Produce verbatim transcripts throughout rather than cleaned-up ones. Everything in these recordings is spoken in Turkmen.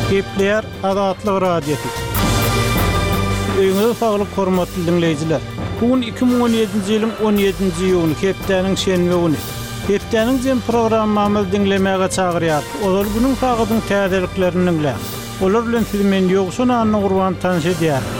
Gepleýär Azatlyk Radiosy. Öýüňize saglyk hormatly diňleýjiler. Bu gün iki müň on ýedinji ýylyň on ýedinji iýuny, hepdäniň şenbe güni. Hepdäniň jem programmamyzy diňlemäge çagyrýarys. Ozal günüň sagadyň täzeliklerini diňläň. Olar bilen sizi men Ýowşan Annagurban tanyş edýärin.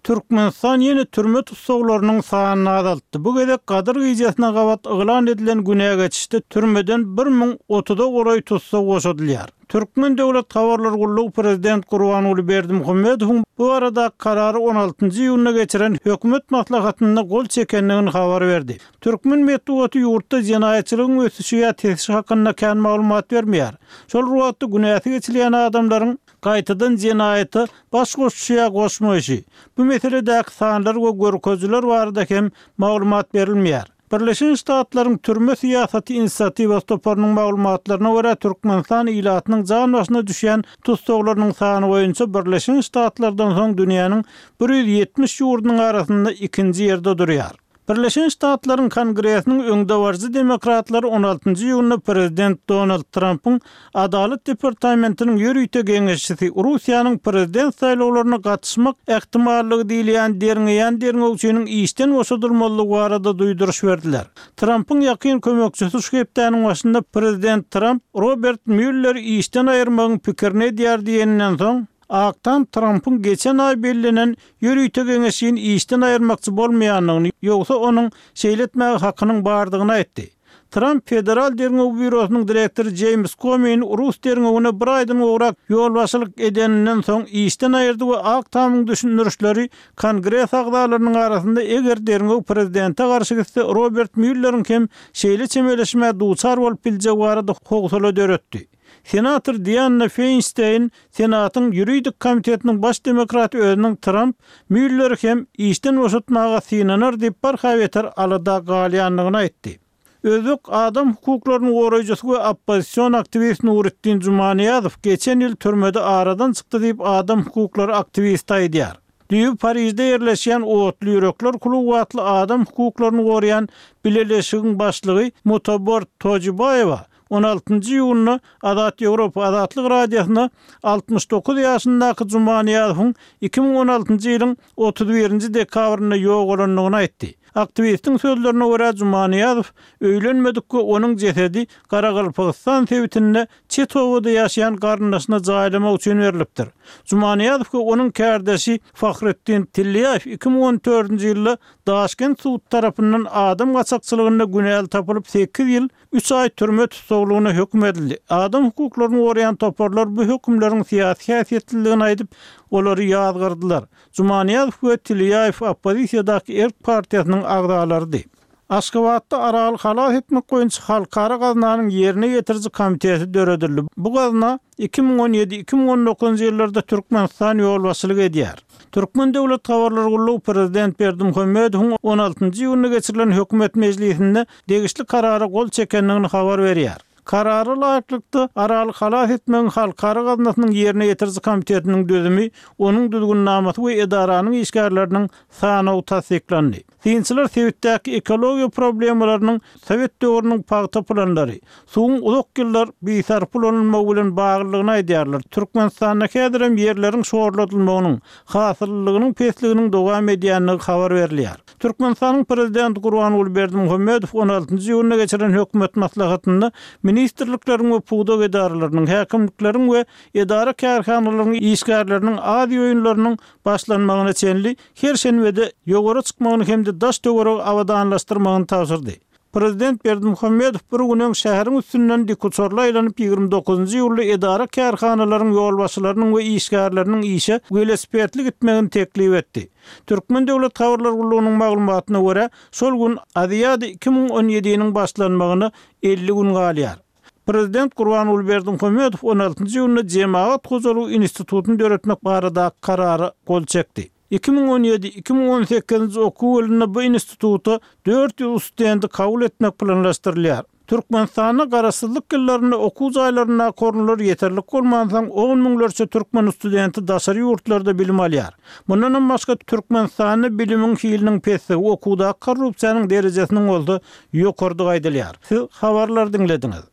Türkmenistan ýene türme tussaglarynyň sanyny azaltdy. Bu gezek Gadyr gijesine gabat yglan edilen günä geçişde türmeden bir müň otuza golaý tussag boşadylýar. Türkmen döwlet habarlar gullugy prezident Gurbanguly Berdimuhamedowyň bu barada karary on altynjy iýunda geçiren hökümet maslahatynda gol çekendigini habar berdi. Türkmen metbugaty ýurtda jenaýatçylygyň ösüşi ýa tesişi hakynda kän maglumat bermeýär. Şol wagtda günäsi geçilýän adamlaryň gaýtadan jenaýata baş goşuşy ýa goşmaýşy, bu meseledäki sanlar we görkezijiler barada hem maglumat berilmeýär. Birleşen Ştatlaryň türme syýasaty inisiatiwasy toparynyň maglumatlaryna görä Türkmenistan ilatynyň jan başyna düşýän tussaglarynyň sany boýunça Birleşen Ştatlardan soň dünýäniň bir ýüz ýetmiş ýurdunyň arasynda ikinji ýerde durýar. Birleşen Ştatlaryň Kongresiniň öňdebaryjy demokratlary on altynjy iýunda prezident Donald Trumpyň Adalat departamentiniň ýörite geňeşçisi Russiýanyň prezident saýlawlaryna gatyşmak ähtimallygy diýilýän derňeýän derňewçiniň işden boşadylmalydygy barada duýduryş berdiler. Trumpyň ýakyn kömekçisi şu hepdäniň başynda prezident Trump Robert Mülleri işden aýyrmagyň pikirini edýär diýeninden soň Ak Tam Trumpyň geçen aý bellenen ýörite geňeşini işden aýyrmakçy bolmaýandygyny, ýogsa onuň şeýle etmäge hakynyň bardygyny aýtdy. Trump Federal derňew býurosynyň direktory James Comey'ni Rus derňewine bir aýdan gowrak ýolbaşçylyk edeninden soň işden aýyrdy we Ak Tamyň düşündirişleri Kongres agzalarynyň arasynda eger derňew prezidente garşy gitse Robert Mülleriň hem şeýle çemeleşmä duçar bolup biljegi barada howsala döretdi. Senator Dianne Feinstein Senatyň ýuridik komitetiniň baş demokraty özüniň Trump Mülleri hem işden boşatmaga synanar diýip barha beter alada galýandygyny aýtdy. Özbek adam hukuklarynyň goraýjysy we oppozision aktiwist Nuretdin Jumaniýazow geçen ýyl türmede aradan çykdy diýip adam hukuklary aktiwisti aýdýar. Düýbi Parijde ýerleşýän Otly ýürekler kluby atly adam hukuklaryny goraýan bileleşigiň başlygy Mutabor Tojibaýewa on altynjy iýunda Azat Ýewropa Azatlyk Radiosyna altmyş dokuz ýaşyndaky Jumaniýazowyň iki müň on altynjy ýylyň otuz birinji dekabrynda ýogalandygyny aýtdy. Aktiwistiň sözlerine görä Jumaniýazow öýlenmedik we onuň jesedi Garagalpagystan sebitinde Çetowada ýaşaýan garyndaşyna jaýlamak üçin berlipdir. Jumaniýazow we onuň kärdeşi Fahretdin Tilliýaýew iki müň on dördünji ýylda Daşkent sud tarapyndan adam gaçakçylygynda günäli tapylyp sekiz ýyl üç aý türme tussaglygyna höküm edildi. Adam hukuklaryny goraýan toparlar bu hökümleriň syýasy häsiýetliligini aýdyp, olary ýazgardylar. Jumaniýazow we Tilliýaýew oppozisiýadaky Erk partiýasynyň agzalarydy. Aşgabatda Araly halas etmek boýunça Halkara gaznanyň ýerine ýetiriji komiteti döredildi. Bu gazna iki müň on ýedi iki müň on dokuzynjy ýyllarda Türkmenistan ýolbaşçylyk edýär. Türkmen döwlet habarlar gullugy prezident Berdimuhamedowyň on altynjy iýunda geçirilen hökümet mejlisinde degişli karara gol çekendigini habar berýär. Karara laýyklykda Araly halas etmegiň Halkara gaznasynyň ýerine ýetiriji komitetiniň düzümi, onuň düzgünnamasy we edaranyň işgärleriniň sanawy tassyklandy. Synçylar sebitdäki ekologiýa problemalarynyň Sowet döwrüniň pagta planlary, suwuň uzak ýyllar bisarp ulanylmagy bilen baglydygyny aýdýarlar. Türkmenistanda häzirem ýerleriň şorladylmagynyň, hasyllylygynyň pesliginiň dowam edýändigi habar berilýär. Türkmenistanyň prezidenti Gurbanguly Berdimuhamedow on altynjy iýunda geçiren hökümet maslahatynda ministrlikleriň we pudak edaralarynyň, häkimlikleriň we edara kärhanalarynyň işgärleriniň Aziýa oýunlarynyň başlanmagyna çenli her şenbede ýowara çykmagyny hem-de daş töweregi abadanlaşdyrmagyny tabşyrdy. Prezident Berdimuhamedow bir gün öň şäheriň üstünden dikuçarly aýlanyp ýigrimi dokuzynjy iýulda edara kärhanalaryň ýolbaşçylarynyň we işgärleriniň işe welosipedli gitmegini teklip etdi. Türkmen döwlet habarlar gullugynyň maglumatyna görä, şol gün Aziada iki müň on ýediniň başlanmagyna elli gün galýar. Prezident Gurbanguly Berdimuhamedow on altynjy iýunda Jemagat hojalygy institutyny döretmek baradaky karara gol çekdi. Iki müň on ýedi iki müň on sekizinji okuw ýylynda bu instituta dört ýüz studenti kabul etmek planlaşdyrylýar. Türkmenistanda garaşsyzlyk ýyllarynda okuw jaýlaryndaky orunlar ýeterlik bolmansoň, on müňlerçe türkmen studenti daşary ýurtlarda bilim alýar. Mundanam başga Türkmenistanda bilimiň hiliniň pesligi, okuwdaky korrupsiýanyň derejesiniň bolsa ýokarydygy aýdylýar. Siz habarlary diňlediňiz.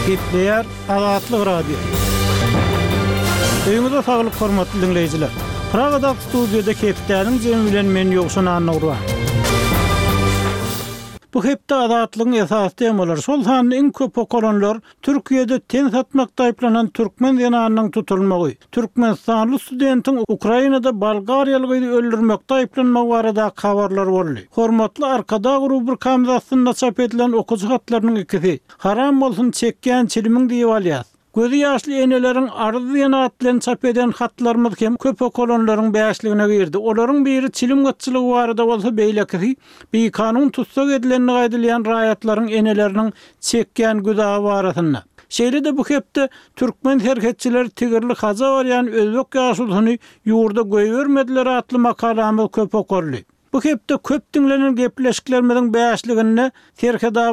Gepleýär Azatlyk Radiosy. Öýüňize saglyk hormatly diňleýjiler. Pragadaky studiýada hepdäniň jemi bilen men Ýowşan Annagurban. Bu hepde Azatlygyň esasy temalary, şol sanda iň köp okalanlar Türkiýede ten satmakda aýyplanan türkmen zenanynyň tutulmagy, türkmenistanly studentiň Ukrainada bolgariýaly gyzy öldürmekde aýyplanmagy baradaky habarlar boldy. Hormatly Arkadag rubrikamyz astynda çap edilen okyjy hatlarynyň ikisi, Haram bolsun çekýän çilimiň diýip alýas. Gözi ýaşly eneleriň arzy diýen at bilen çap eden hatlarymyz hem köp okalanlaryň bäşligine girdi. Olaryň biri çilim gytçylygy barada bolsa, beýlekisi bikanun tussag edilendigi aýdylýan raýatlaryň eneleriniň çekýän güzaby barasynda. Şeýle-de bu hepde türkmen serhetçileri tigirli haja barýan özbek ýaşulusyny ýurda goýbermediler atly makalamyz köp okaldy. Bu hepde köp diňlenen gepleşiklerimiziň bäşliginde Serhetabat